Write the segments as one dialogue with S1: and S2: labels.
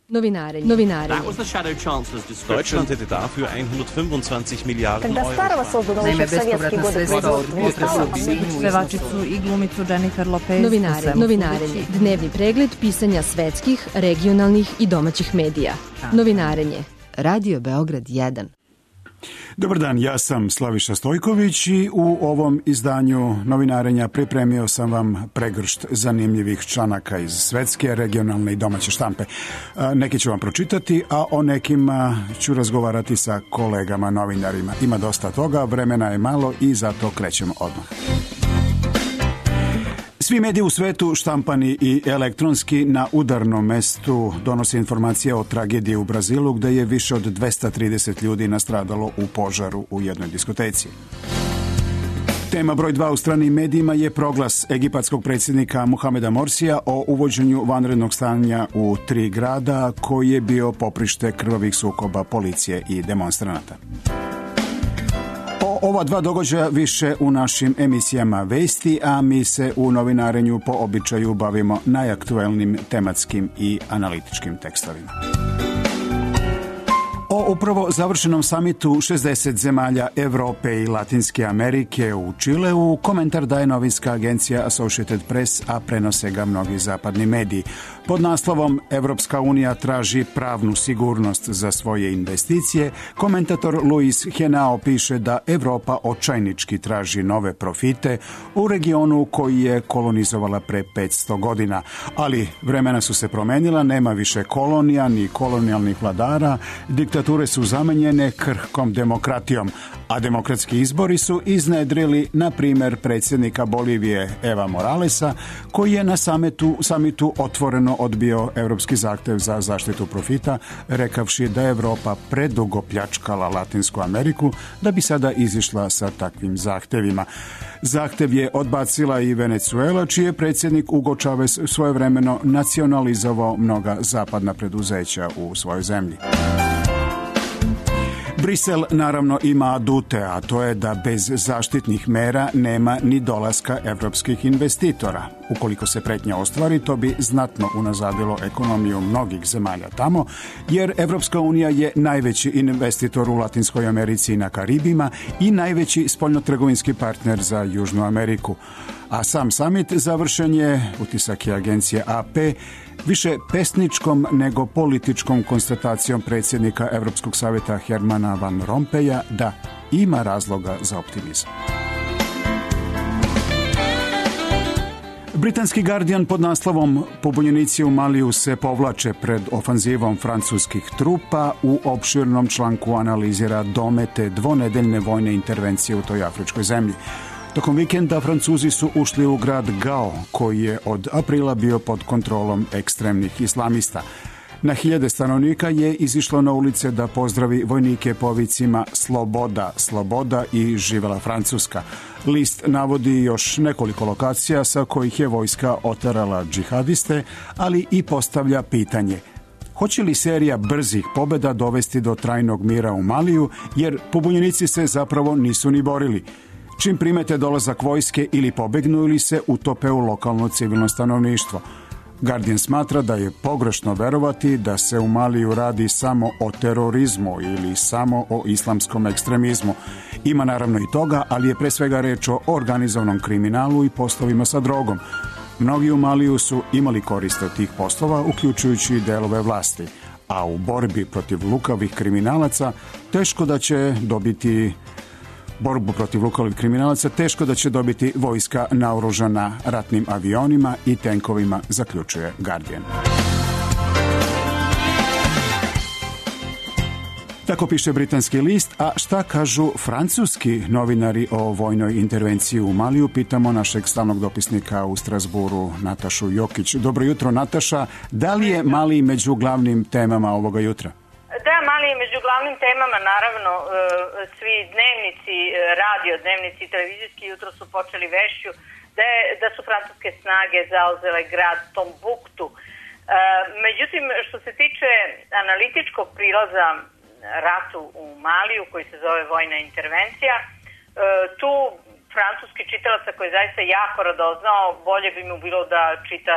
S1: Novinare. Deutschland hätte dafür 125 Milijarden Euro.
S2: Naime, bespovratna sredstva od pevačicu i glumicu Jennifer Lopez.
S3: Novinarenje. Dnevni pregled pisanja svetskih, regionalnih i domaćih medija. Novinarenje. Radio Beograd 1.
S4: Dobar dan, ja sam Slaviša Stojković i u ovom izdanju novinarenja pripremio sam vam pregršt zanimljivih članaka iz svetske, regionalne i domaće štampe. Neki ću vam pročitati, a o nekima ću razgovarati sa kolegama novinarima. Ima dosta toga, vremena je malo i zato krećemo odmah. Svi mediji u svetu, štampani i elektronski, na udarnom mestu donose informacije o tragediji u Brazilu gde je više od 230 ljudi nastradalo u požaru u jednoj diskoteci. Tema broj 2 u stranim medijima je proglas egipatskog predsjednika Muhameda Morsija o uvođenju vanrednog stanja u 3 grada koji je bio poprište krvavih sukoba policije i demonstranata. O ova 2 događaja više u našim emisijama vesti, a mi se u novinarenju po običaju bavimo najaktuelnim tematskim i analitičkim tekstovima. O upravo završenom samitu 60 zemalja Evrope i Latinske Amerike u Čileu komentar daje novinska agencija Associated Press, a prenose ga mnogi zapadni mediji. Pod naslovom Evropska unija traži pravnu sigurnost za svoje investicije, komentator Luis Henao piše da Evropa očajnički traži nove profite u regionu koji je kolonizovala pre 500 godina. Ali vremena su se promenila, nema više kolonija ni kolonijalnih vladara, diktature su zamenjene krhkom demokratijom, a demokratski izbori su iznedrili, na primjer, predsjednika Bolivije Eva Moralesa, koji je na samitu otvoreno odbio evropski zahtev za zaštitu profita, rekavši da je Evropa predugo pljačkala Latinsku Ameriku da bi sada izišla sa takvim zahtevima. Zahtev je odbacila i Venezuela, čiji je predsjednik Hugo Chavez svojevremeno nacionalizovao mnoga zapadna preduzeća u svojoj zemlji. Brisel naravno ima adute, a to je da bez zaštitnih mera nema ni dolaska evropskih investitora. Ukoliko se pretnja ostvari, to bi znatno unazadilo ekonomiju mnogih zemalja tamo, jer Evropska unija je najveći investitor u Latinskoj Americi i na Karibima i najveći spoljnotrgovinski partner za Južnu Ameriku. A sam samit završen je, utisak je agencije AP, više pesničkom nego političkom konstatacijom predsjednika Evropskog savjeta Hermana Van Rompuya da ima razloga za optimizam. Britanski Guardian pod naslovom Pobunjenici u Maliju se povlače pred ofanzivom francuskih trupa u opširnom članku analizira domete dvonedeljne vojne intervencije u toj afričkoj zemlji. Tokom vikenda Francuzi su ušli u grad Gao, koji je od aprila bio pod kontrolom ekstremnih islamista. Na hiljade stanovnika je izišlo na ulice da pozdravi vojnike povicima Sloboda, sloboda i živela Francuska. List navodi još nekoliko lokacija sa kojih je vojska oterala džihadiste, ali i postavlja pitanje: hoće li serija brzih pobjeda dovesti do trajnog mira u Maliju, jer pobunjenici se zapravo nisu ni borili. Čim primete dolazak vojske ili pobegnu ili se utope u lokalno civilno stanovništvo. Guardian smatra da je pogrešno verovati da se u Maliju radi samo o terorizmu ili samo o islamskom ekstremizmu. Ima naravno i toga, ali je pre svega reč o organizovanom kriminalu i poslovima sa drogom. Mnogi u Maliju su imali koriste od tih poslova, uključujući i delove vlasti. A u borbi protiv lukavih kriminalaca teško da će dobiti vojska naoružana ratnim avionima i tenkovima, zaključuje Guardian. Tako piše britanski list, a šta kažu francuski novinari o vojnoj intervenciji u Maliju? Pitamo našeg stalnog dopisnika u Strasburu, Natašu Jokić. Dobro jutro, Nataša. Da li je Mali među glavnim temama ovoga jutra?
S5: Da, Mali je među glavnim temama, naravno, svi dnevnici, radio dnevnici i televizijski jutro su počeli vešću da su francuske snage zauzele grad Tombuktu. Međutim, što se tiče analitičkog prilaza ratu u Maliju, koji se zove vojna intervencija, tu francuski čitalaca koji je zaista jako radoznao, bolje bi mu bilo da čita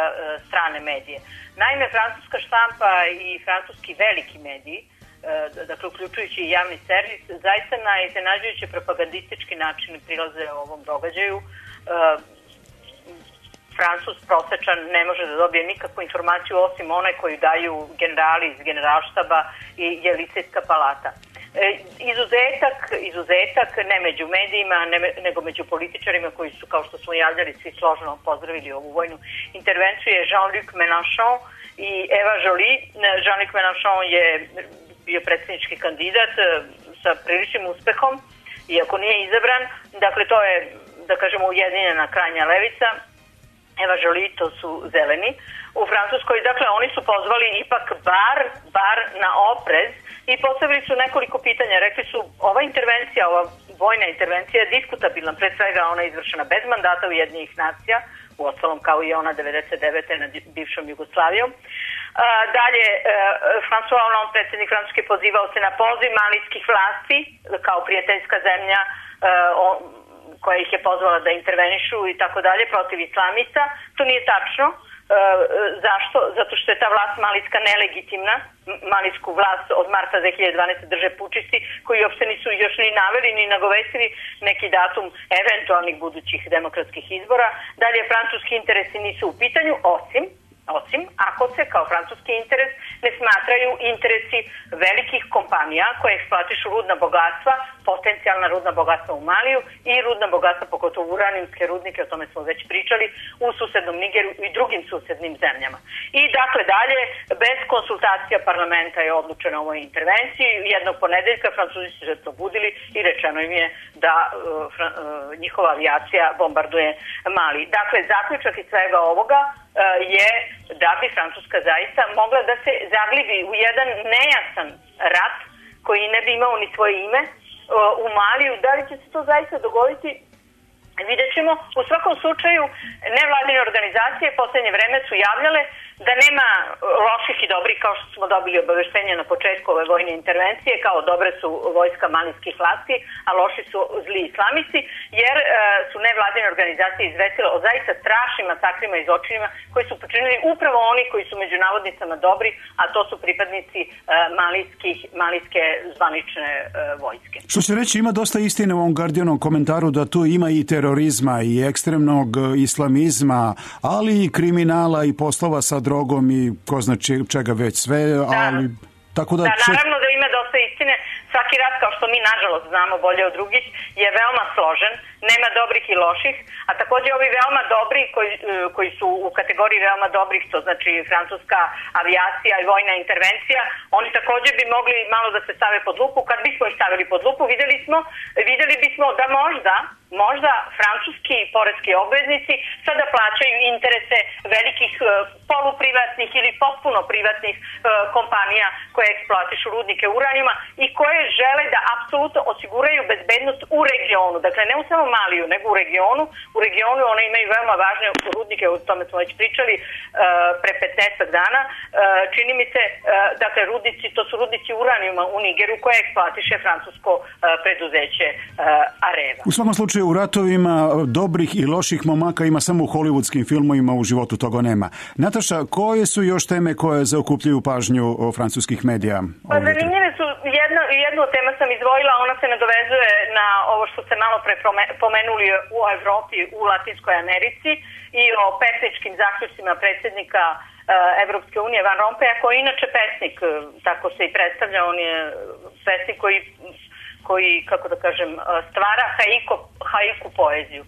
S5: strane medije. Naime, francuska štampa i francuski veliki mediji, dakle uključujući i javni servis, zaista na iznenađujuće propagandistički način prilaze ovom događaju. Francuz prosečan ne može da dobije nikakvu informaciju osim one koju daju generali iz generalštaba i Jelisejska palata. Izuzetak ne među medijima, nego među političarima koji su, kao što smo javljali, svi složno pozdravili ovu vojnu intervenciju, je Jean-Luc Mélenchon i Eva Joly. Jean-Luc Mélenchon je bio predsjednički kandidat sa priličnim uspehom, iako nije izabran. Dakle, to je, da kažemo, ujedinjena krajnja levica. Eva Joly, to su zeleni u Francuskoj. Dakle, oni su pozvali ipak bar na oprez i postavili su nekoliko pitanja. Rekli su, ova intervencija, ova vojna intervencija je diskutabilna, pre svega ona je izvršena bez mandata Ujedinjenih nacija, uostalom kao i ona 99. nad bivšom Jugoslavijom. Dalje, François Hollande, predsjednik Francuske, pozivao se na poziv malijskih vlasti kao prijateljska zemlja koja ih je pozvala da intervenišu i tako dalje protiv islamista. To nije tačno. Zašto? Zato što je ta vlast malijska nelegitimna. Malijsku vlast od marta 2012. drže pučisti koji uopšte nisu još ni naveli ni nagovestili neki datum eventualnih budućih demokratskih izbora. Dalje, francuski interesi nisu u pitanju, osim ako se kao francuski interes ne smatraju interesi velikih kompanija koje eksploatišu rudna bogatstva, potencijalna rudna bogatstva u Maliju i rudna bogatstva, pogotovo uranijumske rudnike, o tome smo već pričali, u susednom Nigeru i drugim susednim zemljama. I dakle dalje, bez konsultacija parlamenta je odlučeno o ovoj intervenciji. Jednog ponedeljka Francuzi su se probudili i rečeno im je da njihova avijacija bombarduje Mali. Dakle, zaključak iz svega ovoga je da bi Francuska zaista mogla da se zaglibi u jedan nejasan rat koji ne bi imao ni svoje ime u Maliju. Da li će se to zaista dogoditi? Vidjet ćemo. U svakom slučaju, nevladine organizacije posljednje vreme su javljale da nema loših i dobrih, kao što smo dobili obaveštenje na početku ove vojne intervencije, kao dobre su vojska malijskih vlasti, a loši su zli islamisti, jer su nevladine organizacije izvestile o zaista strašnim masakrima i zločinima koji su počinili upravo oni koji su među navodnicama dobri, a to su pripadnici malijske zvanične vojske.
S4: Što će reći, ima dosta istine u ovom Guardianom komentaru da tu ima i terorizma i ekstremnog islamizma, ali i kriminala i poslova sa drogom i ko zna čega već sve, ali tako da...
S5: naravno da ima dosta istine. Svaki rat, kao što mi nažalost znamo bolje od drugih, je veoma složen, nema dobrih i loših, a također ovi veoma dobri koji su u kategoriji veoma dobrih, to znači francuska avijacija i vojna intervencija, oni također bi mogli malo da se stave pod lupu. Kad bismo ih stavili pod lupu, vidjeli bismo da možda francuski poreski obveznici sada plaćaju interese velikih poluprivatnih ili potpuno privatnih kompanija koje eksploatišu rudnike uranijuma i koje žele da apsolutno osiguraju bezbednost u regionu. Dakle, ne u samo Maliju, nego u regionu. U regionu one imaju veoma važne rudnike, o tome smo već pričali pre 15 dana. Čini mi se, dakle, to su rudnici uranijuma u Nigeru koje eksploatiše francusko preduzeće Areva.
S4: U svakom slučaju, u ratovima dobrih i loših momaka ima samo u hollywoodskim filmovima, u životu toga nema. Nataša, koje su još teme koje zaokupljuju pažnju francuskih medija?
S5: Pa zanimljive su, jednu tema sam izdvojila, ona se nadovezuje na ovo što ste malo pre pomenuli u Evropi, u Latinskoj Americi i o pesničkim zaključcima predsjednika Evropske unije Van Rompuya, koji je inače pesnik, tako se i predstavlja, on je pesnik koji, kako da kažem, stvara haiku poeziju,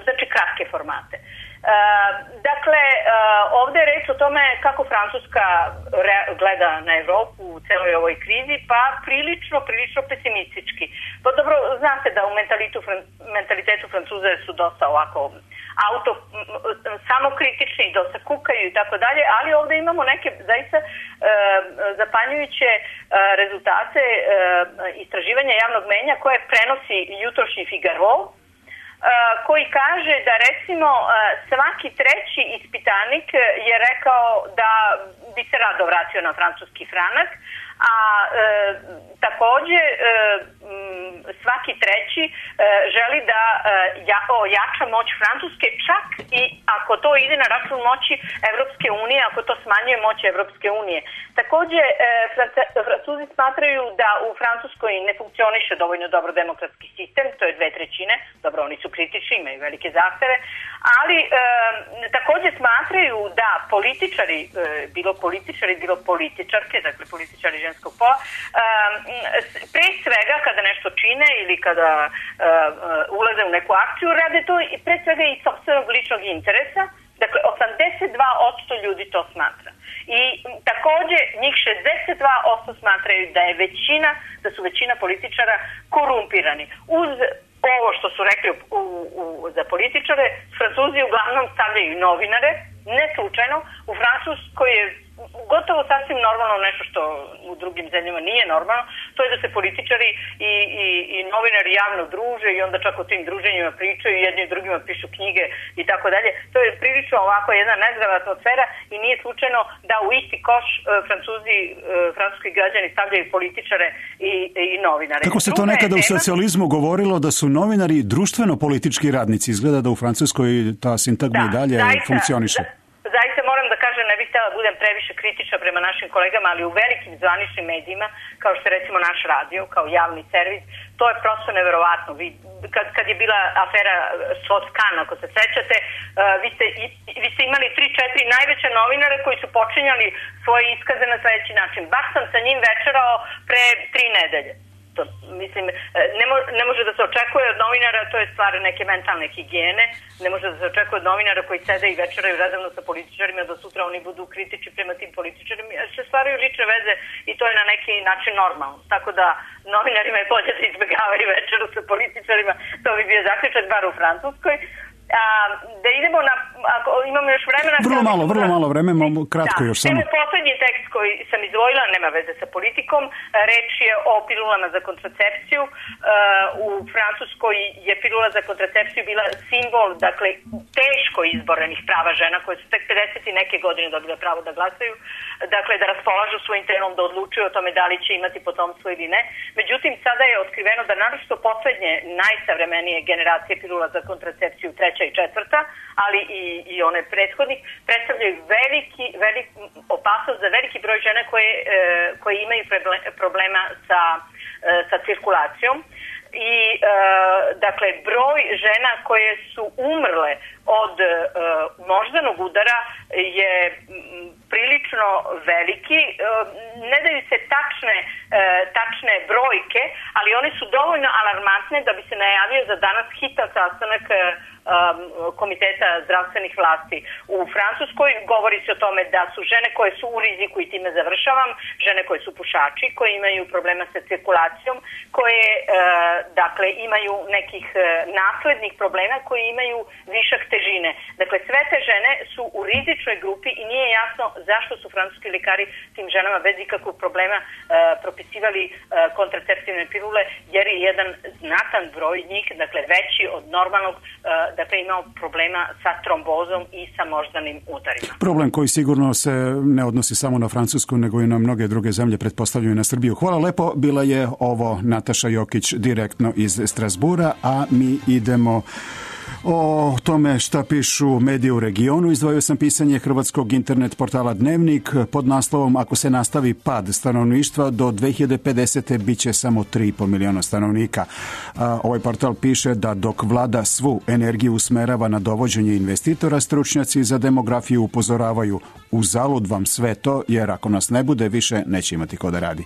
S5: znači kratke formate. Dakle, ovdje je reč o tome kako Francuska gleda na Evropu u celoj ovoj krizi, pa prilično pesimistički. Pa dobro, znate da u mentalitetu Francuza su dosta ovako samokritični, dosta kukaju i tako dalje, ali ovdje imamo neke zaista zapanjujuće rezultate istraživanja javnog mnjenja koje prenosi jutrošnji Figaro, koji kaže da recimo svaki treći ispitanik je rekao da bi se rado vratio na francuski franak, a takođe svaki treći želi da ojača moć Francuske, čak i ako to ide na račun moći Evropske unije, ako to smanjuje moć Evropske unije. Takođe, Francuzi smatraju da u Francuskoj ne funkcioniše dovoljno dobro demokratski sistem, to je 2/3, dobro, oni su kritični, imaju velike zahteve, ali takođe smatraju da političari, bilo političarke, dakle političari ženskog pola, pre svega kada nešto čine ili kada ulaze u neku akciju, rade to i pre svega iz sopstvenog ličnog interesa. Dakle, 82% ljudi to smatra. I takođe njih 62% smatraju da su većina političara korumpirani. Uz ovo što su rekli za političare, Francuzi uglavnom stavljaju i novinare, ne slučajno. U Francuskoj je gotovo sasvim normalno nešto što u drugim zemljama nije normalno, to je da se političari i novinari javno druže i onda čak o tim druženjima pričaju, jedni drugima pišu knjige i tako dalje. To je prilično ovako jedna nezdrava atmosfera i nije slučajno da u isti koš francuski građani stavljaju političare i novinare.
S4: Kako se to nekada u socijalizmu govorilo da su novinari društveno-politički radnici, izgleda da u Francuskoj ta sintagma i dalje funkcioniše.
S5: Zaista moram da kažem, ne bih htjela da budem previše kritična prema našim kolegama, ali u velikim zvaničnim medijima, kao što je recimo naš radio, kao javni servis, to je prosto neverovatno. Kad je bila afera Sotkan, ako se sećate, vi ste imali 3-4 najveće novinare koji su počinjali svoje iskaze na sledeći način. Baš sam sa njim večerao pre 3 nedelje. To, mislim, ne može da se očekuje od novinara, to je stvar neke mentalne higijene, ne može da se očekuje od novinara koji sede i večeraju redovno sa političarima da sutra oni budu kritični prema tim političarima, jer se stvaraju lične veze i to je na neki način normalno. Tako da novinarima je bolje da izbegavaju večeru sa političarima, to bi bio zaključak bar u Francuskoj. Da idemo na, ako imamo još vremena...
S4: Vrlo malo vremena, kratko još samo.
S5: Poslednji tekst koji sam izdvojila, nema veze sa politikom, reč je o pilulama za kontracepciju. U Francuskoj je pilula za kontracepciju bila simbol, dakle, teško izborenih prava žena koje su tek 50 i neke godine dobile pravo da glasaju, dakle, da raspolažu svojim telom, da odlučuju o tome da li će imati potomstvo ili ne. Međutim, sada je otkriveno da naročito poslednje, najsavremenije generacije pilula za kontracepciju, 3. i 4., ali i one prethodnih, predstavljaju veliki opasnost za veliki broj žena koje imaju problema sa cirkulacijom. I dakle, broj žena koje su umrle od moždanog udara je prilično veliki. Ne daju se tačne brojke, ali one su dovoljno alarmantne da bi se najavio za danas hitan sastanak Komiteta zdravstvenih vlasti u Francuskoj. Govori se o tome da su žene koje su u riziku, i time završavam, žene koje su pušači, koje imaju problema sa cirkulacijom, koje dakle imaju nekih naslednih problema, koji imaju višak težine. Dakle, sve te žene su u rizičnoj grupi i nije jasno zašto su francuski lekari tim ženama bez ikakvog problema propisivali kontraceptivne pilule, jer je jedan znatan broj njih, dakle veći od normalnog, dakle imao problema sa trombozom i sa moždanim udarima.
S4: Problem koji sigurno se ne odnosi samo na Francusku, nego i na mnoge druge zemlje, pretpostavljaju na Srbiju. Hvala lepo, bila je ovo Nataša Jokić direktno iz Strasbura, a mi idemo o tome šta pišu medije u regionu. Izdvojio sam pisanje hrvatskog internet portala Dnevnik pod naslovom "Ako se nastavi pad stanovništva, do 2050. bit će samo 3,5 miliona stanovnika". Ovaj portal piše da dok vlada svu energiju usmerava na dovođenje investitora, stručnjaci za demografiju upozoravaju: uzalud vam sve to, jer ako nas ne bude, više neće imati ko da radi.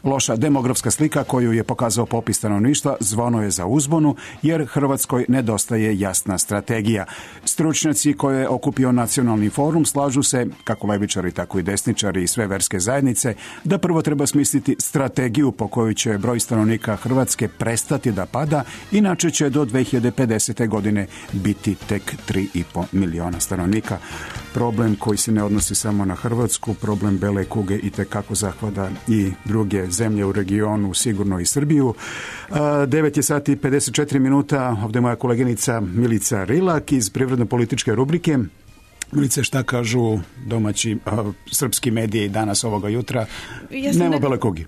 S4: Loša demografska slika koju je pokazao popis stanovništva zvono je za uzbunu, jer Hrvatskoj nedostaje jasna strategija. Stručnjaci koje je okupio Nacionalni forum slažu se, kako levičari, tako i desničari i sve verske zajednice, da prvo treba smisliti strategiju po kojoj će broj stanovnika Hrvatske prestati da pada, inače će do 2050. godine biti tek 3,5 miliona stanovnika. Problem koji se ne odnosi odnosi samo na Hrvatsku, problem bele kuge i tekako zahvata i druge zemlje u regionu, sigurno i Srbiju. 9 je sati 54 minuta, ovdje je moja koleginica Milica Rilak iz privredno-političke rubrike. Milice, šta kažu domaći srpski mediji danas ovoga jutra? Nema bele kugi.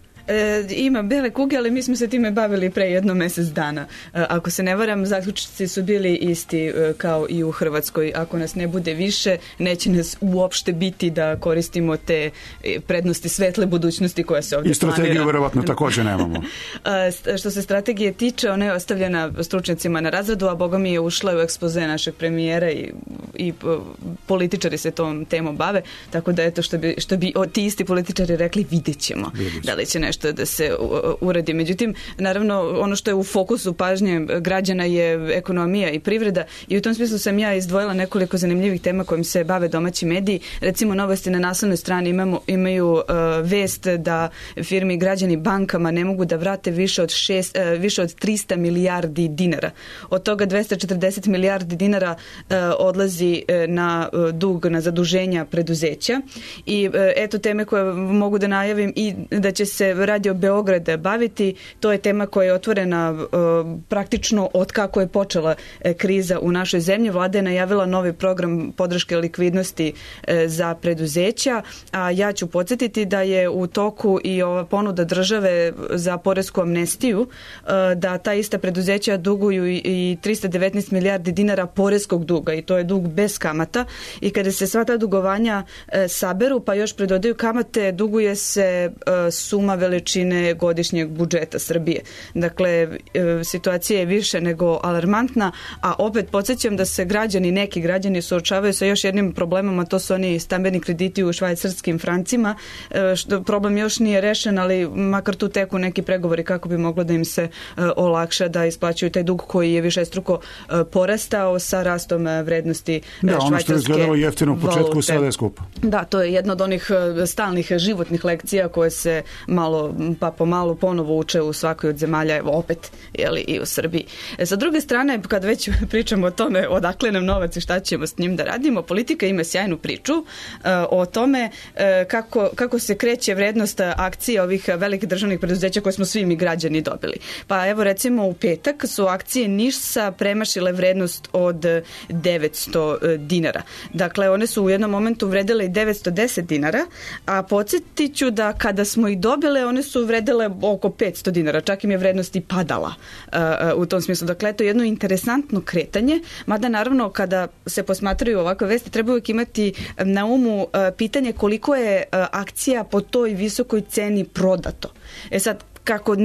S6: Ima bele kuge, ali mi smo se time bavili pre jedno mjesec dana. Ako se ne varam, zaključci su bili isti kao i u Hrvatskoj. Ako nas ne bude više, neće nas uopšte biti da koristimo te prednosti svetle budućnosti koja se ovdje planira.
S4: I strategiju verovatno također nemamo.
S6: Što se strategije tiče, ona je ostavljena stručnjacima na razradu, a boga mi je ušla u ekspoze našeg premijera i političari se tom temom bave, tako da eto što bi ti isti političari rekli, vidjet ćemo da li će nešto da se uradi. Međutim, naravno, ono što je u fokusu pažnje građana je ekonomija i privreda i u tom smislu sam ja izdvojila nekoliko zanimljivih tema kojim se bave domaći mediji. Recimo, Novosti na naslovnoj strani imaju vest da firme i građani bankama ne mogu da vrate više od 300 milijardi dinara. Od toga 240 milijardi dinara odlazi na dug, na zaduženja preduzeća. I eto teme koje mogu da najavim i da će se Radio Beograd baviti. To je tema koja je otvorena praktično od kako je počela kriza u našoj zemlji. Vlada je najavila novi program podrške likvidnosti za preduzeća, a ja ću podsjetiti da je u toku i ova ponuda države za poresku amnestiju, da ta ista preduzeća duguju i 319 milijardi dinara poreskog duga i to je dug bez kamata i kada se sva ta dugovanja saberu pa još predodaju kamate, duguje se suma veličine godišnjeg budžeta Srbije. Dakle, situacija je više nego alarmantna, a opet podsjećam da se neki građani suočavaju sa još jednim problemom, a to su oni stambeni krediti u švajcarskim francima. Problem još nije rešen, ali makar tu teku neki pregovori kako bi moglo da im se olakša da isplaćuju taj dug koji je višestruko porastao sa rastom vrednosti švajcarske
S4: ono što je izgledalo jeftino u početku, sada je skupo.
S6: Da, to je jedna od onih stalnih životnih lekcija koje se malo pa pomalo ponovo uče u svakoj od zemalja, evo opet i u Srbiji. Sa druge strane, kad već pričamo o tome odakle nam novac i šta ćemo s njim da radimo, politika ima sjajnu priču o tome kako se kreće vrednost akcije ovih velikih državnih preduzeća koje smo svi mi građani dobili. Pa evo recimo u petak su akcije NIS-a premašile vrednost od 900 dinara. Dakle, one su u jednom momentu vredile i 910 dinara, a podsjetit ću da kada smo ih dobile, one su vredele oko 500 dinara, čak im je vrednost i padala u tom smislu. Dakle, to je jedno interesantno kretanje, mada naravno kada se posmatraju ovakve vesti treba uvijek imati na umu pitanje koliko je akcija po toj visokoj ceni prodato. Sad, kako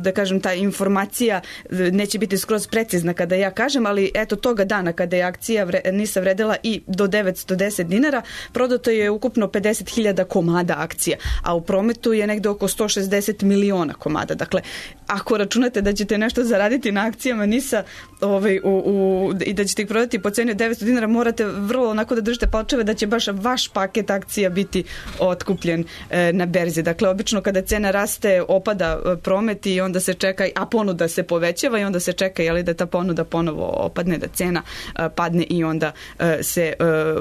S6: da kažem, ta informacija neće biti skroz precizna kada ja kažem, ali eto toga dana kada je akcija NIS-a vredela i do 910 dinara, prodato je ukupno 50.000 komada akcija, a u prometu je negde oko 160 miliona komada. Dakle, ako računate da ćete nešto zaraditi na akcijama NIS-a i da ćete ih prodati po ceni od 900 dinara, morate vrlo onako da držite palčeve da će baš vaš paket akcija biti otkupljen na berzi. Dakle, obično kada cena raste, opada promet i onda se čeka, a ponuda se povećava i onda se čeka da ta ponuda ponovo opadne, da cena padne i onda se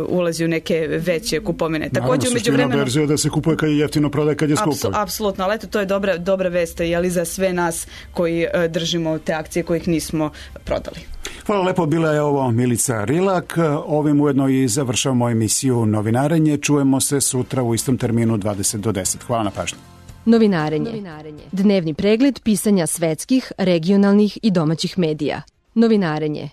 S6: ulazi u neke veće kupovine.
S4: Također, suština berze je da se kupuje kad je jeftino, prodaje kad je skupo.
S6: Apsolutno, ali eto, to je dobra vest za sve nas koji držimo te akcije kojih nismo prodali.
S4: Hvala lepo, bila je ovo Milica Rilak. Ovim ujedno i završavamo emisiju Novinarenje. Čujemo se sutra u istom terminu 20 do 10. Hvala na pažnji.
S3: Novinarenje. Dnevni pregled pisanja svetskih, regionalnih i domaćih medija. Novinarenje.